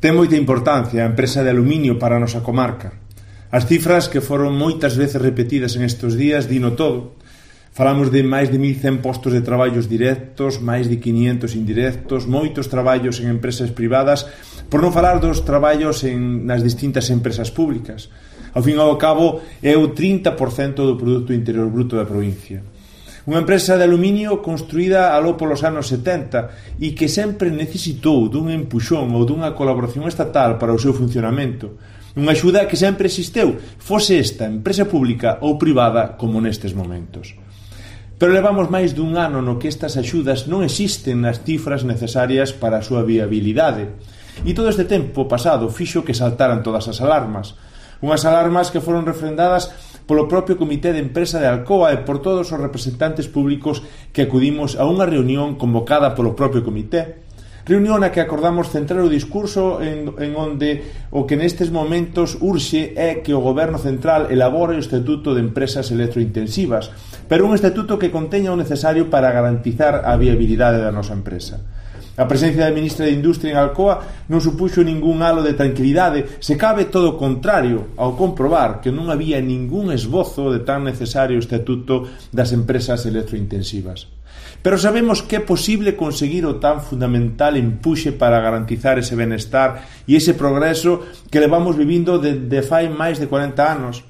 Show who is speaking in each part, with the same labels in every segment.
Speaker 1: Ten moita importancia a empresa de aluminio para a nosa comarca. As cifras que foron moitas veces repetidas en estes días dino todo. Falamos de máis de 1.100 postos de traballos directos, máis de 500 indirectos, moitos traballos en empresas privadas, por non falar dos traballos nas distintas empresas públicas. Ao fin e ao cabo, é o 30% do Produto Interior Bruto da provincia. Unha empresa de aluminio construída aló polos anos 70 e que sempre necesitou dun empuxón ou dunha colaboración estatal para o seu funcionamento. Unha axuda que sempre existeu, fose esta empresa pública ou privada como nestes momentos. Pero levamos máis dun ano no que estas axudas non existen nas cifras necesarias para a súa viabilidade. E todo este tempo pasado fixo que saltaran todas as alarmas. Unhas alarmas que foron refrendadas polo propio Comité de Empresa de Alcoa e por todos os representantes públicos que acudimos a unha reunión convocada polo propio comité. Reunión na que acordamos centrar o discurso en onde o que nestes momentos urxe é que o Goberno Central elabore o Estatuto de Empresas Electrointensivas, pero un estatuto que conteña o necesario para garantizar a viabilidade da nosa empresa. A presencia da ministra de Industria en Alcoa non supuxo ningún halo de tranquilidade, se cabe todo o contrario, ao comprobar que non había ningún esbozo de tan necesario estatuto das empresas electrointensivas. Pero sabemos que é posible conseguir o tan fundamental empuxe para garantizar ese benestar e ese progreso que levamos vivindo de fai máis de 40 anos.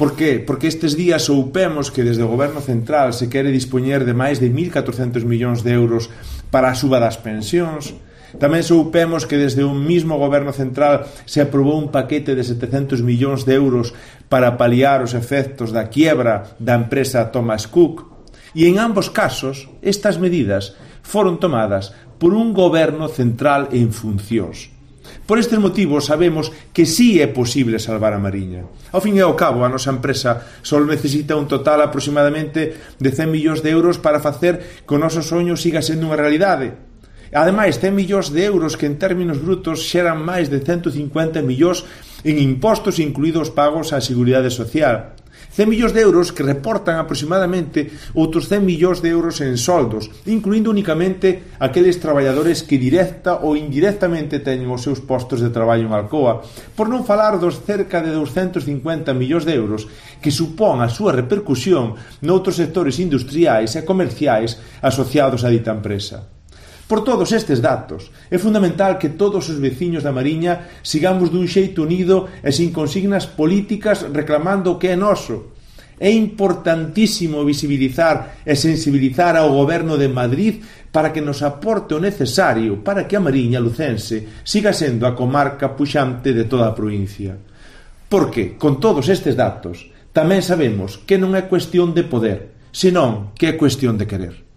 Speaker 1: Por qué? Porque estes días soupemos que desde o Goberno Central se quere dispoñer de máis de 1.400 millóns de euros para a suba das pensións. Tamén soupemos que desde o mismo Goberno Central se aprobou un paquete de 700 millóns de euros para paliar os efectos da quiebra da empresa Thomas Cook. E en ambos casos, estas medidas foron tomadas por un Goberno Central en funcións. Por estes motivos sabemos que sí é posible salvar a Mariña. Ao fin e ao cabo, a nosa empresa só necesita un total aproximadamente de 100 millóns de euros para facer que o noso soño siga sendo unha realidade. Ademais, 100 millóns de euros que en términos brutos xeran máis de 150 millóns en impostos incluídos pagos á Seguridade Social. 100 millóns de euros que reportan aproximadamente outros 100 millóns de euros en soldos, incluindo únicamente aqueles traballadores que directa ou indirectamente teñen os seus postos de traballo en Alcoa, por non falar dos cerca de 250 millóns de euros que supón a súa repercusión noutros sectores industriais e comerciais asociados a dita empresa. Por todos estes datos, é fundamental que todos os veciños da Mariña sigamos dun xeito unido e sin consignas políticas reclamando o que é noso. É importantísimo visibilizar e sensibilizar ao Goberno de Madrid para que nos aporte o necesario para que a Mariña lucense siga sendo a comarca puxante de toda a provincia. Porque, con todos estes datos, tamén sabemos que non é cuestión de poder, senón que é cuestión de querer.